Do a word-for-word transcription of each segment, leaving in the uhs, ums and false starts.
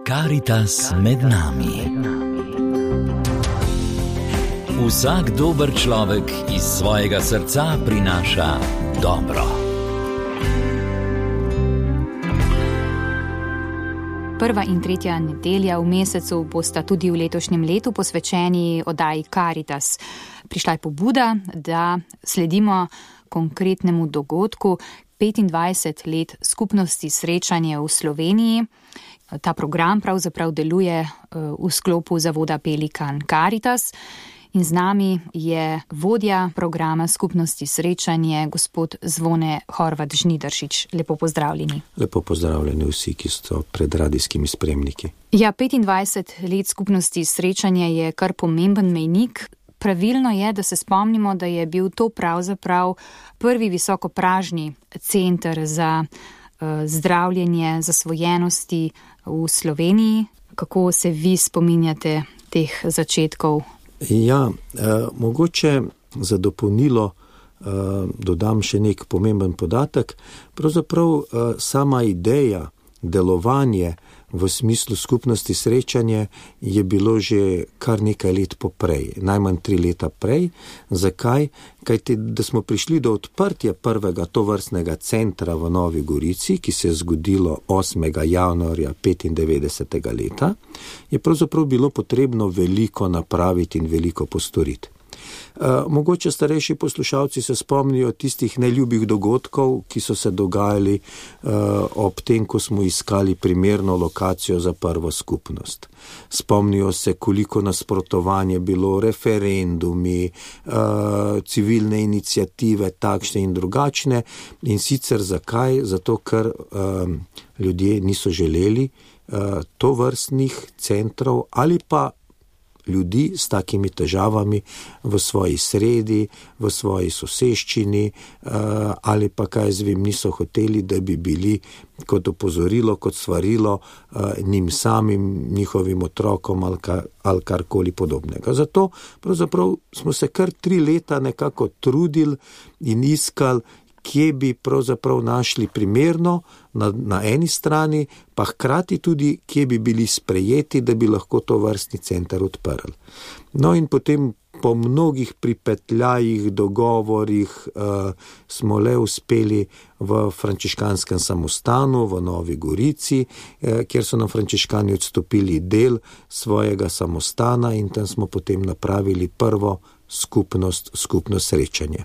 Karitas med nami. Vsak dober človek iz svojega srca prinaša dobro. Prva in tretja nedelja v mesecu bosta tudi v letošnjem letu posvečeni oddaji Karitas. Prišla je pobuda, da sledimo konkretnemu dogodku petindvajset let skupnosti srečanje v Sloveniji. Ta program pravzaprav deluje v sklopu zavoda Pelikan Karitas in z nami je vodja programa skupnosti srečanje, gospod Zvone Horvat Žnidaršič. Lepo pozdravljeni. Lepo pozdravljeni vsi, ki so pred radijskimi spremniki. Ja, petindvajset let skupnosti srečanje je kar pomemben mejnik. Pravilno je, da se spomnimo, da je bil to pravzaprav prvi visokopražni center za uh, zdravljenje zasvojenosti v Sloveniji. Kako se vi spominjate teh začetkov? Ja, eh, mogoče za dopolnilo eh, dodam še nek pomemben podatek. Pravzaprav eh, sama ideja, delovanje v smislu skupnosti srečanje je bilo že kar nekaj let poprej, najmanj tri leta prej. Zakaj? Kajti, da smo prišli do odprtja prvega tovrstnega centra v Novi Gorici, ki se je zgodilo osmega januarja petindevetdesetega leta, je pravzaprav bilo potrebno veliko napraviti in veliko postoriti. Uh, mogoče starejši poslušalci se spomnijo tistih neljubih dogodkov, ki so se dogajali uh, ob tem, ko smo iskali primerno lokacijo za prvo skupnost. Spomnijo se, koliko nasprotovanje bilo, referendumi, uh, civilne iniciative, takšne in drugačne. In sicer zakaj? Zato, ker uh, ljudje niso želeli uh, tovrstnih centrov ali pa ljudi s takimi težavami v svoji sredi, v svoji soseščini, ali pa kaj zvem, niso hoteli, da bi bili kot opozorilo, kot svarilo njim samim, njihovim otrokom ali, kar, ali karkoli podobnega. Zato pravzaprav smo se kar tri leta nekako trudili in iskali, kje bi pravzaprav našli primerno na, na eni strani, pa hkrati tudi, kje bi bili sprejeti, da bi lahko to vrstni center odprli. No in potem po mnogih pripetljajih, dogovorih uh, smo le uspeli v frančiškanskem samostanu v Novi Gorici, eh, kjer so nam frančiškani odstopili del svojega samostana in tam smo potem napravili prvo skupnost, skupnost srečanje.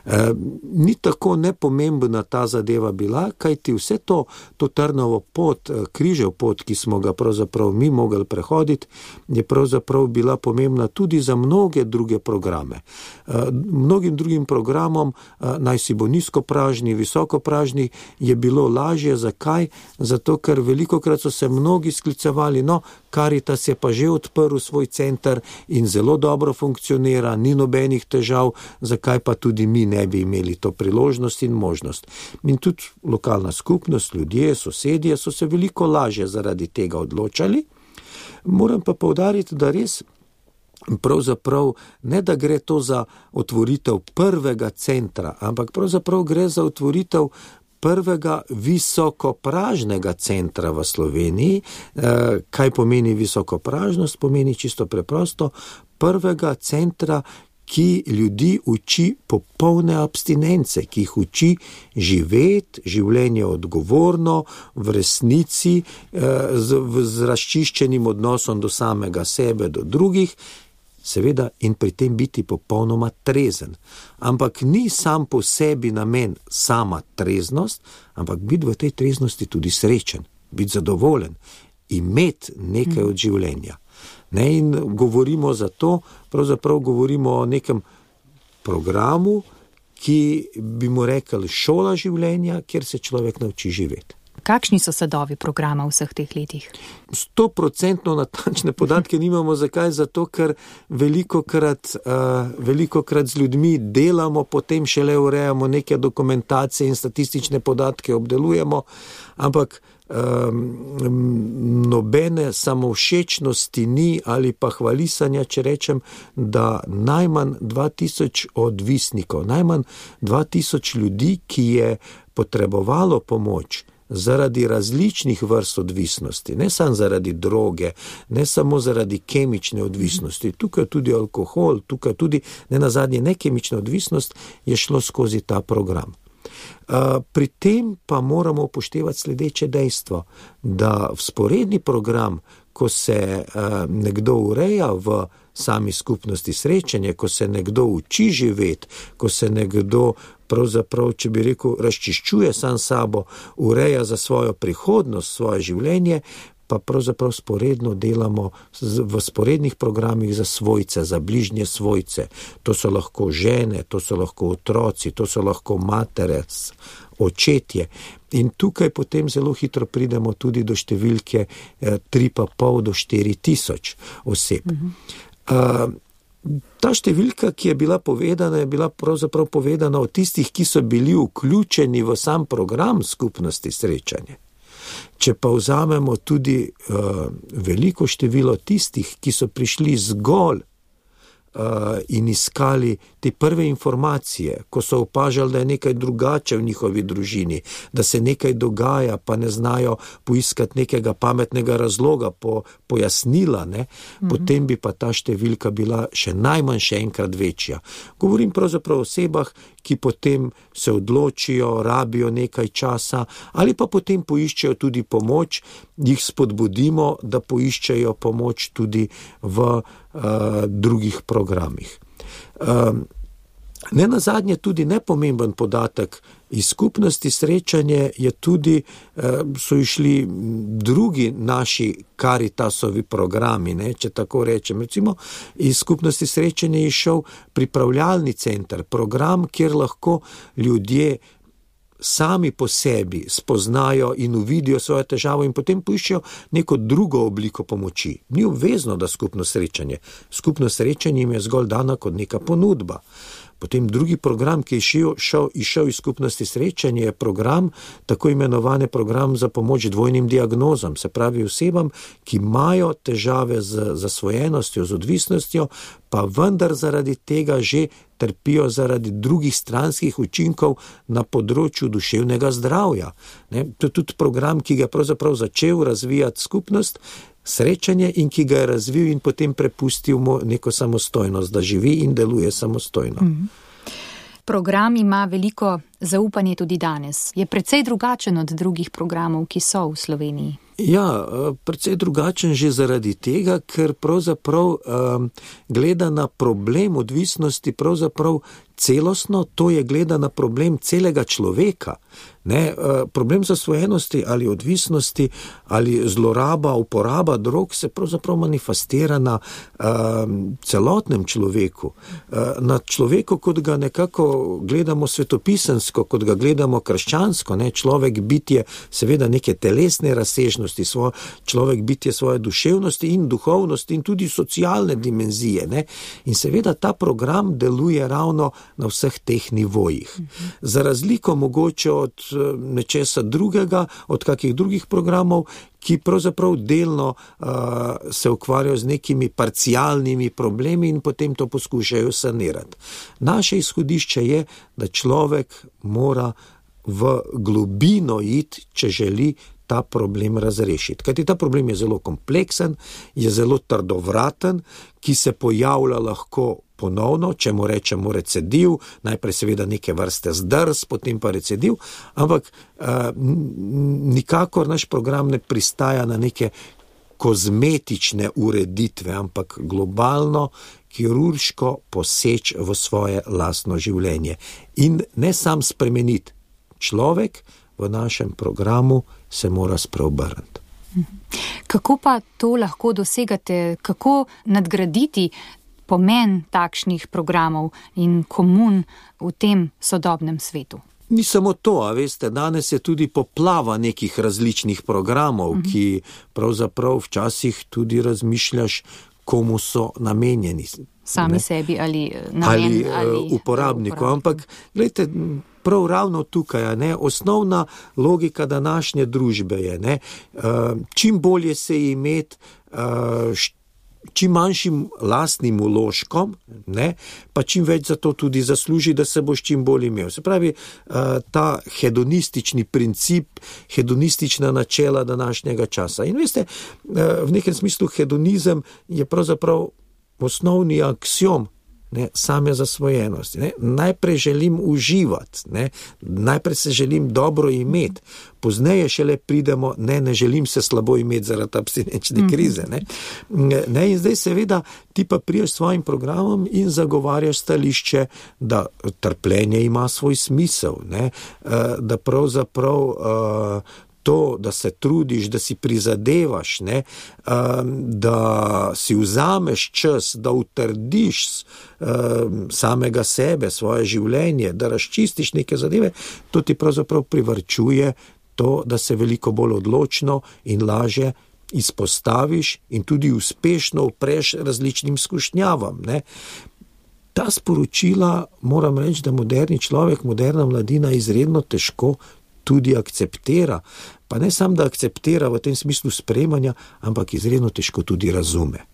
E, ni tako nepomembna ta zadeva bila, kajti vse to, to Trnovo pot, križev pot, ki smo ga pravzaprav mi mogli prehoditi, je pravzaprav bila pomembna tudi za mnoge druge programe. E, mnogim drugim programom, e, naj si bo nizkopražni, visokopražni, je bilo lažje. Zakaj? Zato, ker velikokrat so se mnogi sklicevali, no, Karitas je pa že odprl svoj center in zelo dobro funkcionira, ni nobenih težav, zakaj pa tudi mi ne bi imeli to priložnost in možnost. In tudi lokalna skupnost, ljudje, sosedje so se veliko lažje zaradi tega odločali. Moram pa poudariti, da res pravzaprav ne da gre to za otvoritev prvega centra, ampak pravzaprav gre za otvoritev prvega visokopražnega centra v Sloveniji. Kaj pomeni visokopražnost? Pomeni čisto preprosto prvega centra, ki ljudi uči popolne abstinence, ki jih uči živeti, življenje odgovorno, v resnici, z, z razčiščenim odnosom do samega sebe, do drugih, seveda in pri tem biti popolnoma trezen. Ampak ni sam po sebi namen sama treznost, ampak biti v tej treznosti tudi srečen, biti zadovoljen, imeti nekaj od življenja. Ne, in govorimo za to, pravzaprav govorimo o nekem programu, ki bi mu rekli šola življenja, kjer se človek nauči živeti. Kakšni so sadovi programa v vseh teh letih? Stoprocentno natančne podatke nimamo. Zakaj? Zato, ker velikokrat, uh, velikokrat z ljudmi delamo, potem šele urejamo neke dokumentacije in statistične podatke obdelujemo, ampak um, nobene samovšečnosti ni ali pa hvalisanja, če rečem, da najmanj dva tisoč odvisnikov, najmanj dva tisoč ljudi, ki je potrebovalo pomoč zaradi različnih vrst odvisnosti, ne samo zaradi droge, ne samo zaradi kemične odvisnosti, tukaj tudi alkohol, tukaj tudi ne nazadnje nekemična odvisnost je šlo skozi ta program. Pri tem pa moramo upoštevati sledeče dejstvo, da vzporedni program, ko se nekdo ureja v sami skupnosti srečanja, ko se nekdo uči živeti, ko se nekdo pravzaprav, če bi rekel, razčiščuje sam sabo, ureja za svojo prihodnost, svoje življenje, pa pravzaprav sporedno delamo v sporednih programih za svojce, za bližnje svojce. To so lahko žene, to so lahko otroci, to so lahko matere, očetje. In tukaj potem zelo hitro pridemo tudi do številke tri pa pol do štiri tisoč oseb. Mhm. Ta številka, ki je bila povedana, je bila pravzaprav povedana o tistih, ki so bili vključeni v sam program skupnosti srečanje. Če pa vzamemo tudi uh, veliko število tistih, ki so prišli zgolj uh, in iskali te prve informacije, ko so opažali, da je nekaj drugače v njihovi družini, da se nekaj dogaja, pa ne znajo poiskati nekega pametnega razloga, po, pojasnila, ne? Mhm. Potem bi pa ta številka bila še najmanj še enkrat večja. Govorim pravzaprav o osebah, ki potem se odločijo, rabijo nekaj časa ali pa potem poiščejo tudi pomoč, jih spodbudimo, da poiščejo pomoč tudi v uh, drugih programih. Um, ne nazadnje tudi nepomemben podatek iz skupnosti srečanje je tudi, uh, so išli drugi naši Karitasovi programi, ne, če tako rečem. Recimo, iz skupnosti srečanje je šel pripravljalni center, program, kjer lahko ljudje sami po sebi spoznajo in uvidijo svojo težavo in potem poiščejo neko drugo obliko pomoči. Ni obvezno, da skupno srečanje. Skupno srečanje jim je zgolj dana kot neka ponudba. Potem drugi program, ki je šel, šel, išel iz skupnosti srečanje, je program, tako imenovane program za pomoč dvojnim diagnozam, se pravi osebam, ki imajo težave z zasvojenostjo, z odvisnostjo, pa vendar zaradi tega že trpijo zaradi drugih stranskih učinkov na področju duševnega zdravja. Ne? To je tudi program, ki ga je pravzaprav začel razvijati skupnost srečanje in ki ga je razvil in potem prepustil mu neko samostojnost, da živi in deluje samostojno. Mm. Program ima veliko zaupanje tudi danes. Je precej drugačen od drugih programov, ki so v Sloveniji. Ja, precej drugačen že zaradi tega, ker pravzaprav um, gleda na problem odvisnosti pravzaprav celostno, to je gleda na problem celega človeka. Ne, problem zasvojenosti ali odvisnosti ali zloraba, uporaba drog se pravzaprav manifestira na um, celotnem človeku. Na človeku, kot ga nekako gledamo svetopisensko, kot ga gledamo krščansko, ne, človek bitje seveda neke telesne razsežnosti, svoj, človek bitje svoje duševnosti in duhovnosti in tudi socialne dimenzije. Ne. In seveda ta program deluje ravno na vseh teh nivojih. Za razliko mogoče od nečesa drugega, od kakih drugih programov, ki pravzaprav delno uh, se ukvarjajo z nekimi parcialnimi problemi in potem to poskušajo sanirati. Naše izhodišče je, da človek mora v globino iti, če želi ta problem razrešiti. Kajti ta problem je zelo kompleksen, je zelo trdovraten, ki se pojavlja lahko ponovno, če mu rečemo recidiv, najprej seveda neke vrste zdrs, potem pa recidiv, ampak uh, nikakor naš program ne pristaja na neke kozmetične ureditve, ampak globalno, kirurško poseč v svoje lastno življenje. In ne sam spremeniti. Človek v našem programu se mora spreobrniti. Kako pa to lahko dosegate? Kako nadgraditi pomen takšnih programov in komun v tem sodobnem svetu? Ni samo to, a veste, danes je tudi poplava nekih različnih programov, uh-huh. ki pravzaprav včasih tudi razmišljaš, komu so namenjeni. Sami ne? sebi ali namen ali, ali uporabniku. Ampak, gledajte, prav ravno tukaj, ne, osnovna logika današnje družbe je, ne, čim bolje se imeti čim manjšim lastnim vložkom, ne, pa čim več za to tudi zasluži, da se boš čim bolj imel. Se pravi, ta hedonistični princip, hedonistična načela današnjega časa. In veste, v nekem smislu hedonizem je pravzaprav osnovni aksiom, ne, same zasvojenosti. Ne. Najprej želim uživati, ne, najprej se želim dobro imeti, pozneje šele pridemo, ne, ne želim se slabo imeti zaradi abstinenčne krize. Ne. Ne, in zdaj seveda ti pa priješ s svojim programom in zagovarjaš stališče, da trpljenje ima svoj smisel, ne, da pravzaprav to, da se trudiš, da si prizadevaš, ne, da si vzameš čas, da utrdiš samega sebe, svoje življenje, da razčistiš neke zadeve, to ti pravzaprav privarčuje to, da se veliko bolj odločno in lažje izpostaviš in tudi uspešno upreš različnim skušnjavam, ne. Ta sporočila, moram reči, da moderni človek, moderna mladina izredno težko tudi akceptira, pa ne samo, da akceptira v tem smislu sprejemanja, ampak izredno težko tudi razume.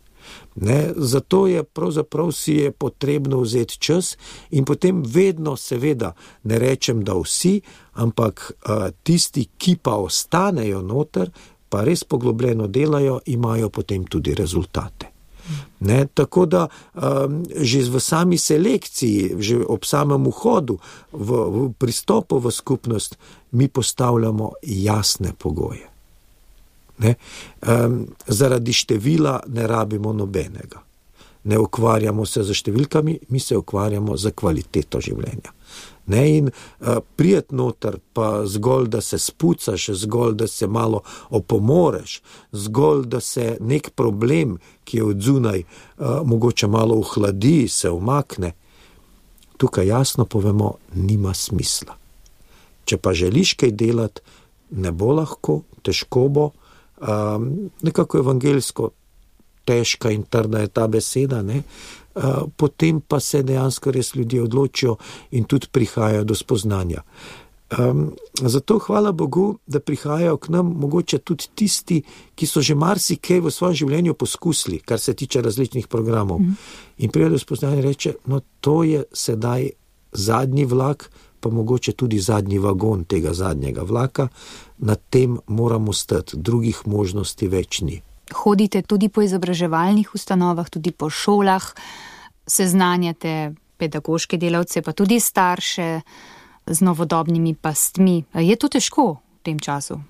Ne, zato je pravzaprav si je potrebno vzeti čas in potem vedno seveda, ne rečem, da vsi, ampak a, tisti, ki pa ostanejo noter, pa res poglobljeno delajo, imajo potem tudi rezultate. Ne, tako da um, že v sami selekciji, že ob samem vhodu v, v pristopu v skupnost mi postavljamo jasne pogoje. Ne, um, zaradi števila ne rabimo nobenega. Ne ukvarjamo se z številkami, mi se ukvarjamo za kvaliteto življenja. Ne, in uh, prijet noter pa zgolj, da se spucaš, zgolj, da se malo opomoreš, zgolj, da se nek problem, ki je od zunaj, uh, mogoče malo ohladi, se umakne, tukaj jasno povemo, nima smisla. Če pa želiš kaj delati, ne bo lahko, težko bo, um, nekako evangeljsko, težka in trda je ta beseda, ne, Uh, potem pa se dejansko res ljudje odločijo in tudi prihajajo do spoznanja. Um, zato hvala Bogu, da prihajajo k nam mogoče tudi tisti, ki so že marsikaj v svojem življenju poskusili, kar se tiče različnih programov. Mm. In prihajajo do spoznanja in reče, no to je sedaj zadnji vlak, pa mogoče tudi zadnji vagon tega zadnjega vlaka, na tem moramo stati, drugih možnosti več ni. Hodite tudi po izobraževalnih ustanovah, tudi po šolah, seznanjate pedagoške delavce, pa tudi starše z novodobnimi pastmi. Je to težko v tem času?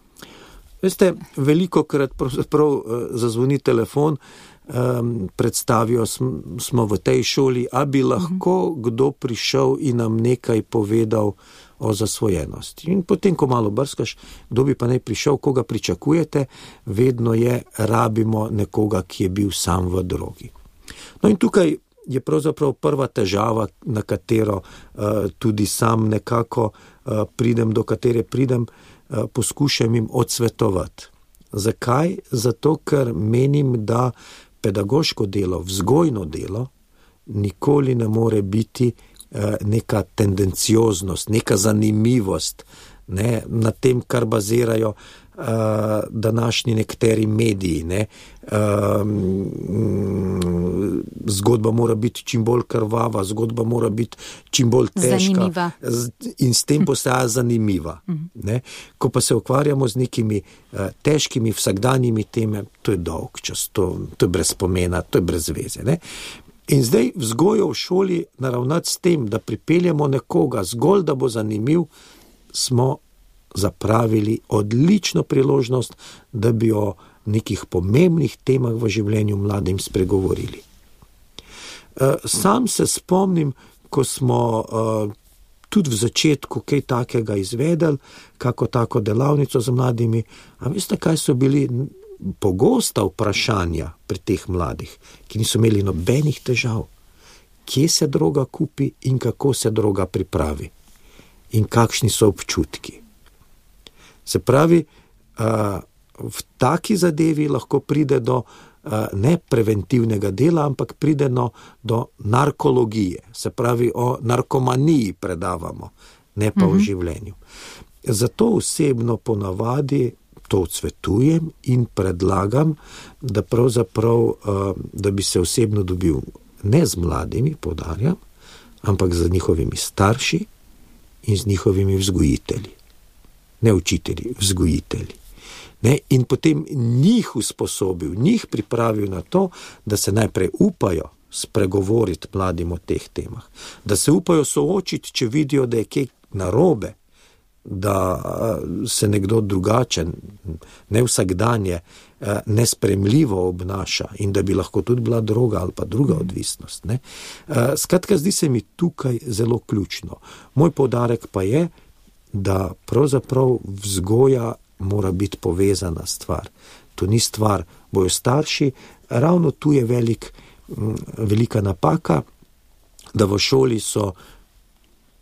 Veste, velikokrat pravzaprav zazvoni telefon, um, predstavijo smo v tej šoli, a bi lahko uh-huh. kdo prišel in nam nekaj povedal o zasvojenosti. In potem, ko malo brskaš, kdo bi pa naj prišel, koga pričakujete, vedno je, rabimo nekoga, ki je bil sam v drogi. No in tukaj je pravzaprav prva težava, na katero uh, tudi sam nekako uh, pridem, do katere pridem, uh, poskušam jim odsvetovati. Zakaj? Zato, ker menim, da pedagoško delo, vzgojno delo, nikoli ne more biti neka tendencioznost, neka zanimivost, ne, na tem, kar bazirajo uh, današnji nekateri mediji. Ne. Uh, zgodba mora biti čim bolj krvava, zgodba mora biti čim bolj težka. Zanimiva. In s tem postaja zanimiva. Ne. Ko pa se ukvarjamo z nekimi uh, težkimi vsakdanjimi teme, to je dolg čas, to, to je brez pomena, to je brez veze. Ne. In zdaj vzgojo v šoli naravnati s tem, da pripeljamo nekoga zgolj, da bo zanimiv, smo zapravili odlično priložnost, da bi o nekih pomembnih temah v življenju mladim spregovorili. Sam se spomnim, ko smo tudi v začetku kaj takega izvedeli, kako tako delavnico z mladimi, a veste, kaj so bili pogosta vprašanja pri teh mladih, ki niso imeli nobenih težav. Kje se droga kupi in kako se droga pripravi? In kakšni so občutki? Se pravi, v taki zadevi lahko pride do ne preventivnega dela, ampak pride do narkologije. Se pravi, o narkomaniji predavamo, ne pa mm-hmm. o življenju. Zato osebno ponavadi to odsvetujem in predlagam, da pravzaprav, da bi se osebno dobil ne z mladimi, poudarjam, ampak z njihovimi starši in z njihovimi vzgojitelji. Ne učitelji, vzgojitelji. Ne? In potem njih usposobil, njih pripravil na to, da se najprej upajo spregovoriti mladim o teh temah. Da se upajo soočiti, če vidijo, da je kaj narobe, da se nekdo drugačen, ne vsakdanje, nespremljivo obnaša in da bi lahko tudi bila droga ali pa druga odvisnost. Ne? Skratka, zdi se mi tukaj zelo ključno. Moj poudarek pa je, da pravzaprav vzgoja mora biti povezana stvar. To ni stvar, bojo starši, ravno tu je velik, velika napaka, da v šoli so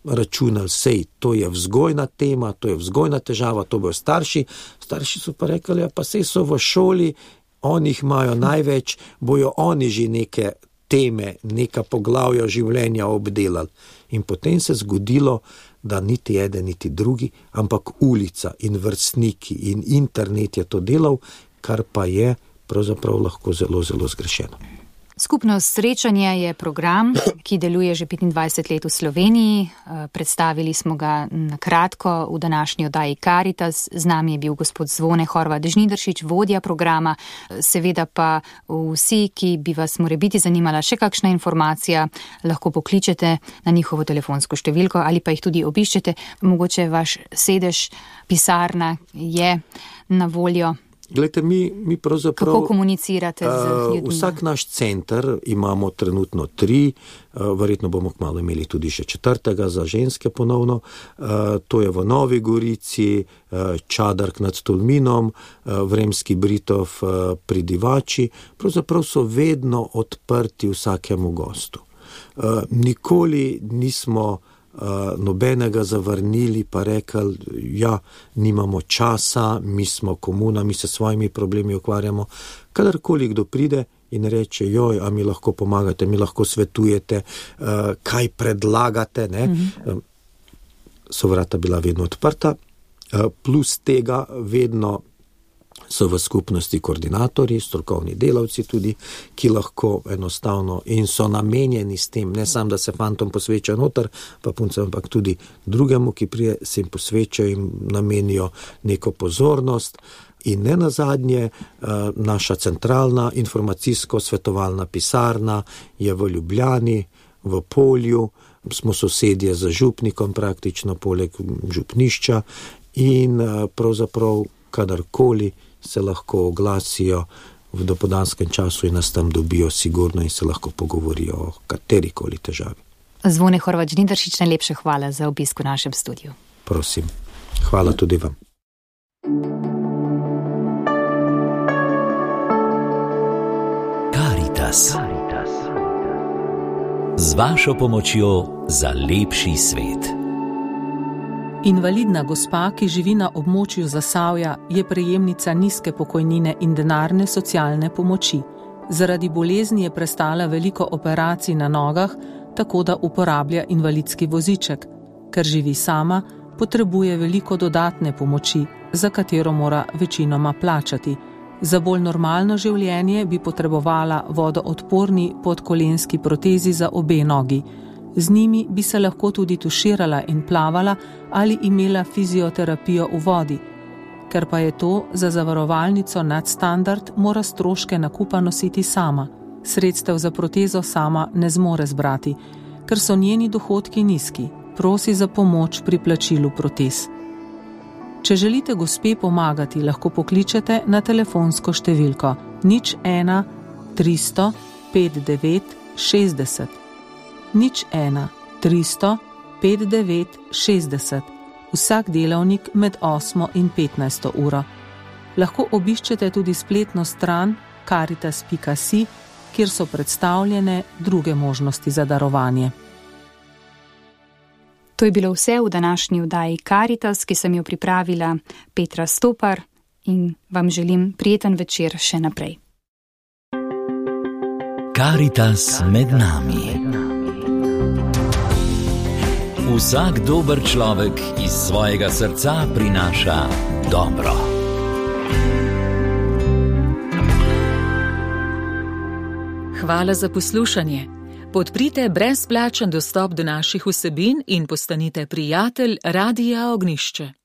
računali, sej, to je vzgojna tema, to je vzgojna težava, to bojo starši. Starši so pa rekli, ja, pa sej so v šoli, oni jih imajo največ, bojo oni že neke teme, neka poglavja življenja obdelali. In potem se zgodilo, da niti eden, niti drugi, ampak ulica in vrstniki in internet je to delal, kar pa je pravzaprav lahko zelo, zelo zgrešeno. Skupnost Srečanje je program, ki deluje že petindvajset let v Sloveniji. Predstavili smo ga na kratko v današnji oddaji Karitas. Z nami je bil gospod Zvone Horvat Žnidaršič, vodja programa. Seveda pa vsi, ki bi vas morebiti zanimala še kakšna informacija, lahko pokličete na njihovo telefonsko številko ali pa jih tudi obiščete. Mogoče vaš sedež, pisarna je na voljo. Glejte, mi, mi pravzaprav... Kako komunicirate z ljudmi? Vsak naš center imamo trenutno tri, verjetno bomo kmalu imeli tudi še četrtega za ženske ponovno. To je v Novi Gorici, Čadark nad Tolminom, Vremski Britov pri Divači. Pravzaprav so vedno odprti vsakemu gostu. Nikoli nismo nobenega zavrnili pa rekli, ja, nimamo časa, mi smo komuna, mi se s svojimi problemi ukvarjamo. Kadarkoli kdo pride in reče, joj, a mi lahko pomagate, mi lahko svetujete, kaj predlagate, ne? Mm-hmm. So vrata bila vedno odprta, plus tega vedno so v skupnosti koordinatorji, strokovni delavci tudi, ki lahko enostavno in so namenjeni s tem, ne samo, da se fantom posveča noter, pa puncem, ampak tudi drugemu, ki prije se jim posveča in namenijo neko pozornost. In ne nazadnje, naša centralna informacijsko-svetovalna pisarna je v Ljubljani, v Polju, smo sosedje z župnikom praktično, poleg župnišča in pravzaprav kadarkoli se lahko oglasijo v dopoldanskem času in nas tam dobijo sigurno in se lahko pogovorijo o katerikoli težavi. Zvone Horvat Žnidaršič, najlepše hvala za obisk v našem studiu. Prosim, hvala tudi vam. Karitas. Z vašo pomočjo za lepši svet. Invalidna gospa, ki živi na območju Zasavja, je prejemnica nizke pokojnine in denarne socialne pomoči. Zaradi bolezni je prestala veliko operacij na nogah, tako da uporablja invalidski voziček. Ker živi sama, potrebuje veliko dodatne pomoči, za katero mora večinoma plačati. Za bolj normalno življenje bi potrebovala vodoodporni podkolenski protezi za obe nogi. Z njimi bi se lahko tudi tuširala in plavala ali imela fizioterapijo v vodi. Ker pa je to za zavarovalnico nadstandard, mora stroške nakupa nositi sama. Sredstev za protezo sama ne zmore zbrati. Ker so njeni dohodki nizki, prosi za pomoč pri plačilu protez. Če želite gospe pomagati, lahko pokličete na telefonsko številko nič ena tristo pet devet šestdeset. Nič ena tristo pet devet šestdeset, vsak delavnik med osmo in petnajsto uro. Lahko obiščete tudi spletno stran karitas pika si, kjer so predstavljene druge možnosti za darovanje. To je bilo vse v današnji oddaji Karitas, ki sem jo pripravila Petra Stopar in vam želim prijeten večer še naprej. Karitas med nami. Vsak dober človek iz svojega srca prinaša dobro. Hvala za poslušanje. Podprite brezplačen dostop do naših vsebin in postanite prijatelj Radia Ognjišče.